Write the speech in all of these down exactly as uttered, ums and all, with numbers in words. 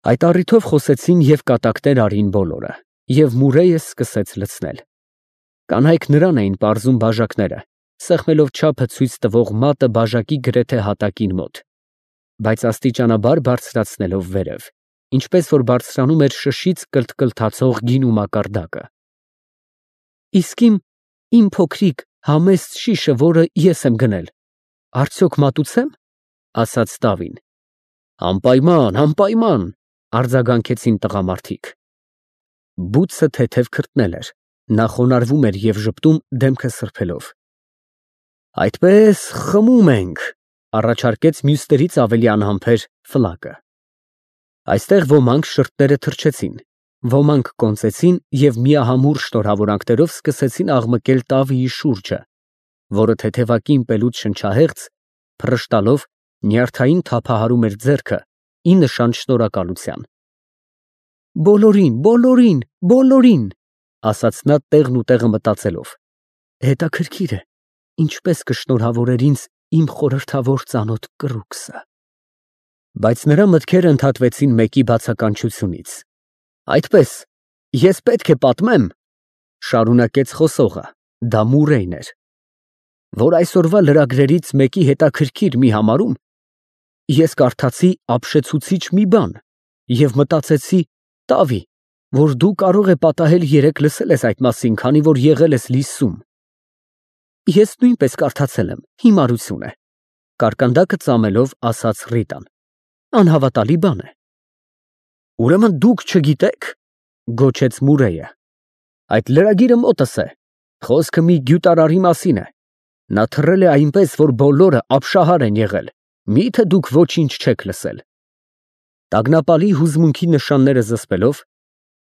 Այդ առիթով խոսեցին և կատակներ արին բոլորը, և Մուրեյը սկսեց լցնել. կանայք նրան էին պարզում բաժակները, սեղմելով չափը ցույց տվող մատը բաժակի գրեթե հատակին մոտ, բայց աստիճանաբար բարձրացնելով վերև, ինչպես որ բարձրանում էր շշից կլթկլթացող գինու մակարդակը։ Իսկ իմ, իմ փոքրիկ համեստ շիշը, որը ես եմ գնել, արդյոք մատուցե՞մ, ասաց Տավին։ Անպայման, անպայման, արձագանքեցին տղամարդիկ։ Բութը թեթև քրտնել էր, նա խոնարհվում էր և ժպտում, դեմքը սրբելով։ Այդպես խմում ենք, առաջարկեց մյուսներից ավելի անհամբեր Ֆլակը։ Այստեղ ոմանք շրթերը թրջեցին, ոմանք կոնծեցին և միահամուռ շնորհավորանքներով սկսեցին աղմկել Տավիի շուրջը, որը թեթևակին ըմպելուց շնչահեղձ, փռշտալով, նյարդային թափահարում էր ձեռքը ի նշան շնորհակալության։ Բոլորին, բոլորին, բոլորին, ասաց նա տեղն ու տեղը մտածելով, հետաքրքիր է, ինչպես կշնորհավորեր ինձ իմ խորհրդավոր ծանոթ կռուկսը։ Բայց նրա մտքերը ընդհատվեցին մեկի բացականչությունից։ Այդպես, ես պետք է պատմեմ, շարունակեց խոսողը, դա Մուրեյն էր, որ այսօրվա լրագրերից մեկի հետաքրքիր մի համարում ես կարդացի ապշեցուցիչ մի բան և մտածեցի, Տավի, որ դու կարող է պատահել երեկ լսել ես այդ մասին, քանի որ եղել ես Լիսսում։ Ես նույնպես կարդացել եմ, հիմարություն է, կարկանդակը ծամելով ասաց Ռիտան։ Անհավատալի բան է։ Ուրեմն դուք չգիտեք, գոչեց Մուրեյը։ Այդ լրագիրը մոտս է, խոսքը մի գյուտարարի մասին է։ Նա թռել է այնպես, որ բոլորը ապշահար են եղել, միթե դուք ոչինչ չեք լսել։ Տագնապալի հուզմունքի նշանները զսպելով,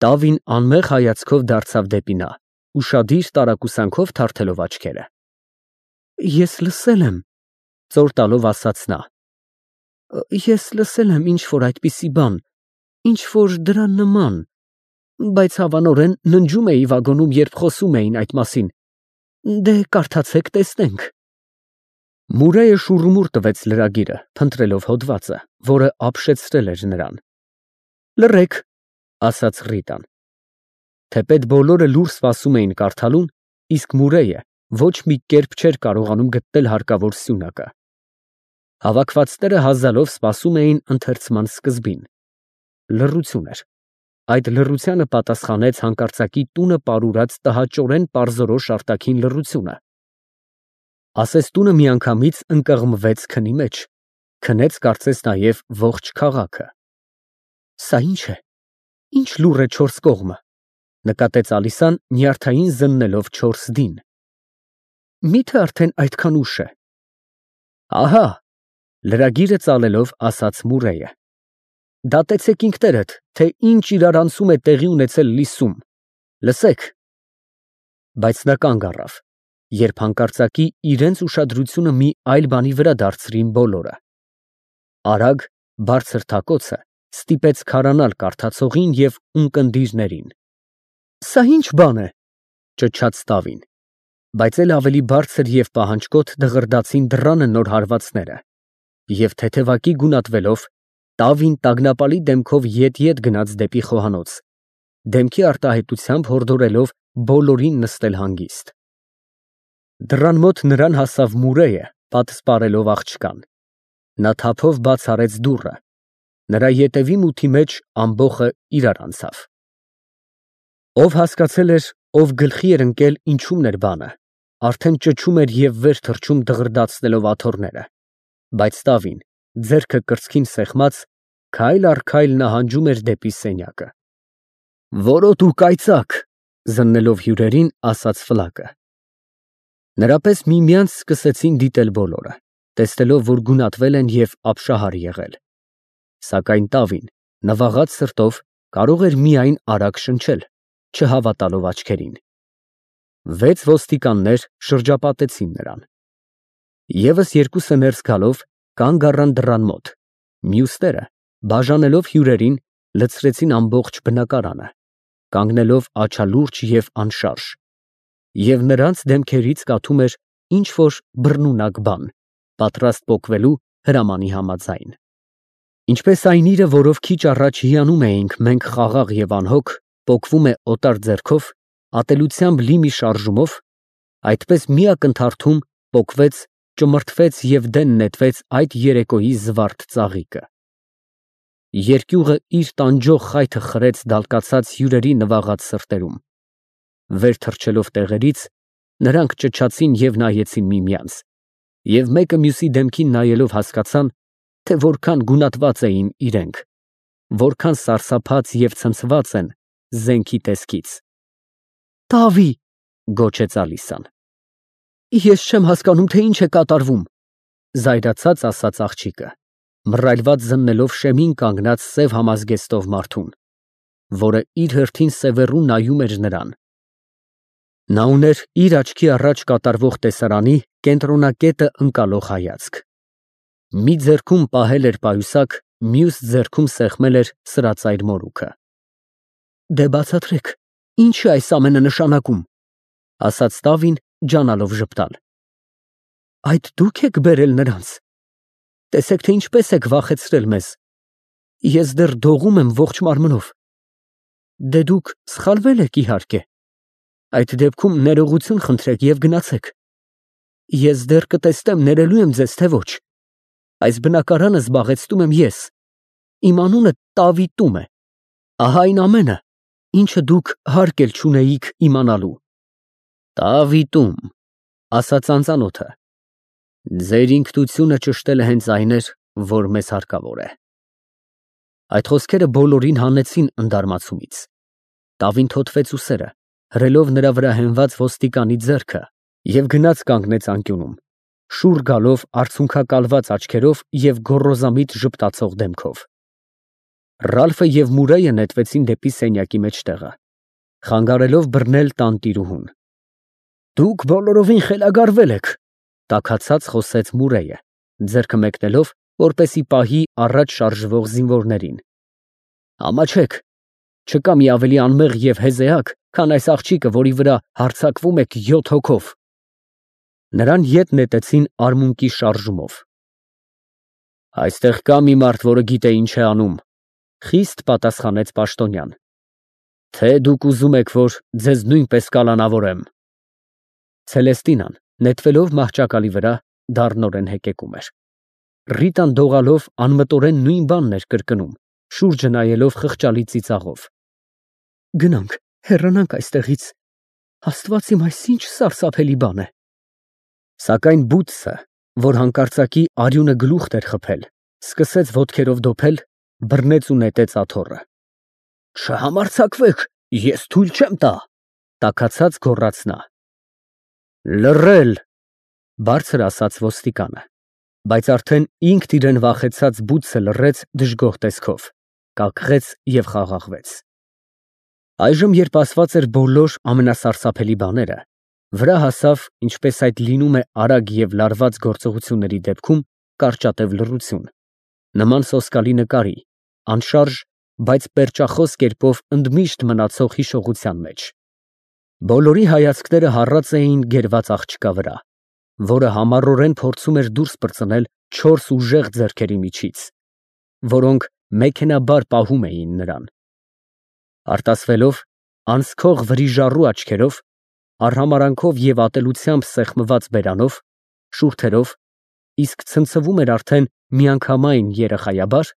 Տավին անմեղ հայացքով դարձավ դեպի նա, ուշադիր տարակուսանքով թարթելով աչքերը։ Ես լսել եմ, ծոր տալով ասաց նա։ Ես լսել եմ ինչ֊որ այդպիսի բան, ինչ֊որ դրա նման, բայց հավանորեն ննջում էի վագոնում, երբ խոսում էին այդ մասին։ Դե կարդացեք, տեսնենք։ Մուրեյը շուռումուռ տվեց լրագիրը, փնտրելով հոդվածը, որը ապշեցրել էր նրան։ Լռեք, ասաց Ռիտան։ Թեպետ բոլորը լուռ սպասում էին կարդալուն, իսկ Մուրեյը ոչ մի կերպ չէր կարողանում գտնել հարկավոր սյունակը։ Հավաքվածները հազալով սպասում էին ընթերցման սկզբին։ Լռություն էր։ Այդ լռությանը պատասխանեց հանկարծակի տունը պարուրած տհաճորեն պարզորոշ արտաքին լռությունը։ Ասես տունը միանգամից ընկղմվեց քնի մեջ, քնեց կարծես նաև ողջ քաղաքը։ Սա ի՞նչ է, ի՞նչ լուռ է չորս կողմը, նկատեց Ալիսան, նյարդային զննելով չորս դին։ Մի՞թե արդեն այդքան ուշ է։ Ահա, լրագիրը ծալելով ասաց Մուրեյը։ Դատեցեք ինքներդ, թե ինչ իրարանցում է տեղի ունեցել Լիսսում, լսեք։ Բայց նա կանգ առավ, երբ հանկարծակի իրենց ուշադրությունը մի այլ բանի վրա դարձրին բոլորը։ Արագ, բարձր թակոցը ստիպեց քարանալ կարդացողին և ունկնդիրներին։ Սա ի՞նչ բան է, ճչաց Տավին, բայց էլ ավելի բարձր և պահանջկոտ դղրդացին դռանը նոր հարվածները, և թեթևակի գունատվելով, Տավին տագնապալի դեմքով ետ֊ետ գնաց դեպի խոհանոց, դեմքի արտահայտությամբ հորդորելով բոլորին նստել հանգիստ։ Դռան մոտ նրան հասավ Մուրեյը, պատսպարելով աղջկան։ Նա թափով բաց արեց դուռը, նրա ետևի մութի մեջ ամբոխը իրար անցավ։ Ով հասկացել էր, ով գլխի էր ընկել ինչումն էր բանը, արդեն ճչում էր և վեր թռչում դղրդացնելով աթոռները, բայց Տավին, ձեռքը կրծքին սեղմած, քայլ առ քայլ նահանջում էր դեպի սենյակը։ Որոտ ու կայծակ, զննելով հյուրերին, ասաց Ֆլակը։ Նրա պես միմյանց սկսեցին դիտել բոլորը, տեսնելով, որ գունատվել են և ապշահար եղել։ Սակայն Տավին, նվաղած սրտով, կարող էր միայն արագ շնչել, չհավատալով աչքերին։ Վեց ոստիկաններ շրջապատեցին նրան։ Եվս երկուսը ներս գալով, կանգ առան դռան մոտ, մյուսները, բաժանելով հյուրերին, լցրեցին ամբողջ բնակարանը, կանգնելով աչալուրջ և անշարժ, և նրանց դեմքերից կաթում էր ինչ֊որ բռնունակ բան, պատրաստ պոկվելու հրամանի համաձայն։ Ինչպես այն իրը, որով քիչ առաջ հիանում էինք մենք խաղաղ և անհոգ, պոկվում է օտար ձեռքով, ատելությամբ լի մի շարժումով, այդպես մի ակնթարթում պոկվեց, ճմրթվեց և դեն նետվեց այդ երեկոյի զվարթ ծաղիկը։ Երկյուղը իր տանջող խայթը խրեց դալկացած հյուրերի նվաղած սրտերում։ Վեր թռչելով տեղերից, նրանք ճչացին և նայեցին միմյանց, և մեկը մյուսի դեմքին նայելով հասկացան, թե որքան գունատված էին իրենք, որքան սարսափած և ցնցված են զենքի տեսքից։ «Տավի՜», գոչեց Ալիսան։ «Ես չեմ հասկանում, թե ինչ է կատարվում», զայրացած ասաց աղջիկը, մռայլված զննելով շեմին կանգնած սև համազգեստով մարդուն, որը իր հերթին սևեռուն նայում էր նրան։ Նա ուներ իր աչքի առաջ կատարվող տեսարանի կենտրոնակետը ընկալող հայացք։ Մի ձեռքում պահել էր պայուսակ, մյուս ձեռքում սեղմել էր սրածայր մորուքը։ «Դե բացատրեք, ինչ է այս ամենը նշանակում», ասաց Տավին, ջանալով ժպտալ։ «Այդ դու՞ք եք բերել նրանց։ Տեսեք, թե ինչպես եք վախեցրել մեզ։ Ես դեռ դողում եմ ողջ մարմնով։ Դե դուք սխալվել եք, իհարկե։ Այդ դեպքում ներողություն խնդրեք և գնացեք։ Ես դեռ կտեսնեմ ներելու եմ ձեզ, թե ոչ։ Այս բնակարանը զբաղեցնում եմ ես։ Իմ անունը Տավիտում է։ Ահա այն ամենը, ինչը դուք հարկ էլ չունեիք իմանալու»։ «Տավիտում», ասաց անծանոթը։ «Ձեր ինքնությունը ճշտելը հենց այն էր, որ մեզ հարկավոր է»։ Այդ խոսքերը բոլորին հանեցին ընդարմացումից։ Տավին թոթվեց ուսերը, հրելով նրա վրա հենված ոստիկանի ձեռքը, և գնաց կանգնեց անկյունում, շուռ գալով արցունքակալված աչքերով և գոռոզամիտ ժպտացող դեմքով։ Ռալֆը և Մուրեյը նետվեցին դեպի սենյակի մեջտեղը, խանգարելով բռնել տանտիրուհուն։ «Դուք բոլորովին խելագարվել եք», տաքացած խոսեց Մուրեյը, ձեռքը մեկնելով, որպեսզի պահի առաջ շարժվող զինվորներին։ «Ամաչեք, չկա մի ավելի անմեղ և հեզեակ, քան այս աղջիկը, որի վրա հարձակվում եք յոթ հոգով»։ Նրան ետ նետեցին արմունկի շարժումով։ «Այստեղ կա մի մարդ, որը գիտե ինչ է անում», խիստ պատասխանեց պաշտոնյան։ «Թե դուք ուզում եք, որ ձեզ նույնպես կալանավորեմ»։ Ցելեստինան, նետվելով մահճակալի վրա, դառնորեն հեկեկում էր։ Ռիտան դողալով անմտորեն նույն բանն էր կրկնում, շուրջը նայելով խղճալի ծիծաղով։ «Գնանք, հեռանանք այստեղից։ Աստված իմ, այս ինչ սարսափելի բան է»։ Սակայն բութսը, որ հանկարծակի արյունը գլուխ էր խփել, սկսեց ոտքերով դոփել, բռնեց ու նետեց աթոռը։ «Չհամարձակվեք, ես թույլ չեմ տա», տաքացած գոռաց նա։ «Լռել», բարձր ասաց ոստիկանը, բայց արդեն ինքն իրեն վախեցած բութսը լռեց դժգոհ տեսքով, կակղեց և խաղաղվեց։ Այժմ, երբ ասված էր բոլոր ամենասարսափելի բաները, վրա հասավ, ինչպես այդ լինում է արագ և լարված գործողությունների դեպքում, կարճատև լռություն, նման սոսկալի նկարի, անշարժ, բայց պերճախոս կերպով ընդմիշտ մնացող հիշողության մեջ։ Բոլորի հայացքները հառած էին գերված աղջկա վրա, որը համառորեն փորձում էր դուրս պրծնել չորս ուժեղ ձեռքերի միջից, որոնք մեքենաբար պահում էին նրան։ Արտասվելով, անցքող վրիժառու աչքերով, արհամարանքով և ատելությամբ սեղմված բերանով, շուրթերով, իսկ ցնցվում էր արդեն միանգամայն երեխայաբար,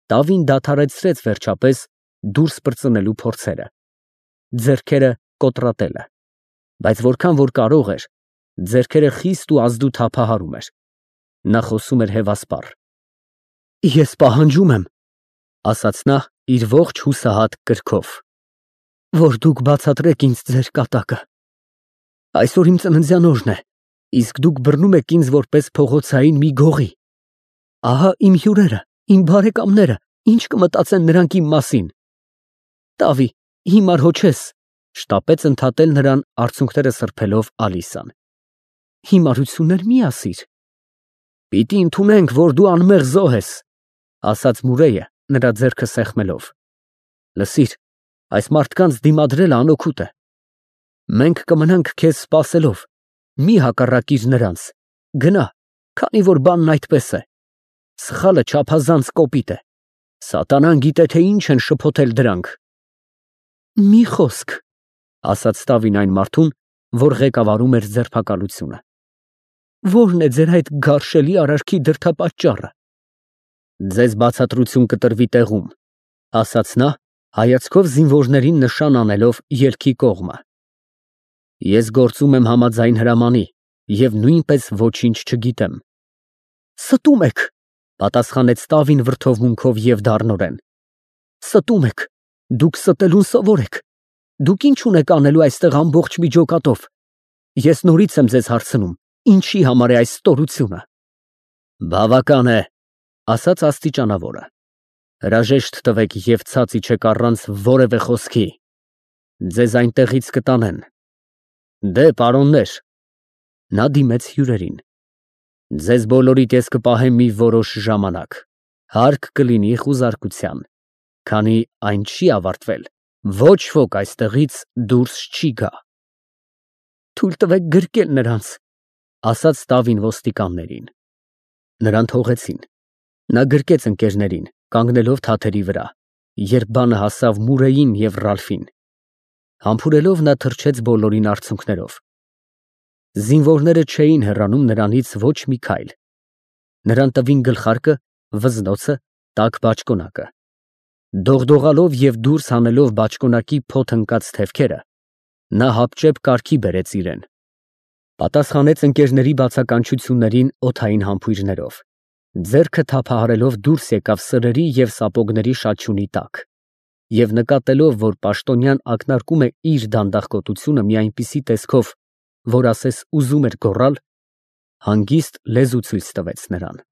Տավին դադարեցրեց վերջապես դուրս պրծնելու փորձերը, ձեռքերը կոտրատելը, բայց որքան որ կարող էր, ձեռքերը խիստ ու ազդու թափահարում էր։ Նա խոսում էր հևասպառ։ «Ես պահանջում եմ», ասաց նա իր ողջ հուսահատ կրքով, «որ դուք բացատրեք ինձ ձեր կատակը։ Այսօր իմ ծննդյան օրն է, իսկ դուք բռնում եք ինձ որպես փողոցային մի գողի։ Ահա իմ հյուրերը, իմ բարեկամները, ինչ կմտածեն նրանք իմ մասին»։ «Տավի, հիմար հո չես», շտապեց ընդհատել նրան արցունքները սրբելով Ալիսան։ «Հիմարություններ մի ասիր»։ «Պիտի ընդունենք, որ դու անմեղ զոհ ես», ասաց Մուրեյը, նրա ձեռքը սեղմելով։ «Լսիր, այս մարդկանց դիմադրելը անօգուտ է։ Մենք կմնանք քեզ սպասելով, մի հակառակիր նրանց, գնա, քանի որ բանն այդպես է։ Սխալը չափազանց կոպիտ է»։ Սատանան գիտե, թե ինչ են շփոթել դրանք։ Մի խոսք, ասաց Ստավին այն մարդուն, որ ղեկավարում էր ձերբակալությունը։ Ո՞րն է ձեր այդ գարշելի արարքի դրդապատճառը։ Ձեզ բացատրություն կտրվի տեղում, ասաց նա, հայացքով զինվորներին նշան անելով ելքի կողմը։ Ես գործում եմ համաձայն հրամանի և նույնպես ոչինչ չգիտեմ։ Ստում եք, պատասխանեց Ստավին վրդովմունքով և դառնորեն։ Ստում եք, դուք ստելուն սովոր եք։ Դուք ինչ ունեք անելու այստեղ ամբողջ միջոկատով։ Ես նորից եմ ձեզ հարցնում, ինչի համար է այս ստորությունը։ Բավական է, ասաց աստիճանավորը։ Հրաժեշտ տվեք և ցած իջեք առանց որևէ խոսքի։ Ձեզ այնտեղից կտանեն։ Դե, պարոններ։ Նա դիմեց հյուրերին։ Ձեզ բոլորիդ ես կպահեմ մի որոշ ժամանակ, հարկ կլինի խուզարկության, քանի այն չի ավարտվել, ոչ ոք այստեղից դուրս չի գա։ Թույլ տվեք գրկել նրանց, ասաց Ստավին ոստիկաններին։ Նրան թողեցին։ Նա գրկեց ընկերներին, կանգնելով թաթերի վրա, երբ բանը հասավ Մուրեյին և Ռալֆին։ Համբուրելով նա թռչեց բոլորին արցունքներով։ Զինվորները չէին հեռանում նրանից ոչ մի քայլ։ Նրան տվին գլխարկը, վզնոցը, տաք բաճկոնակը։ Դողդողալով և դուրս հանելով բաճկոնակի փոթ ընկած թևքերը, նա հապճեպ կարգի բերեց իրեն։ Պատասխանեց ընկերների բացականչություններին օդային համբույրներով։ Ձեռքը թափահարելով դուրս եկավ սրերի և սապոգների շաչյունի տակ և նկատելով, որ պաշտոնյան ակնարկում է իր դանդաղկոտությունը մի այնպիսի տեսքով, որ ասես ուզում էր գոռալ, հանգիստ լեզու ցույց տվեց նրան։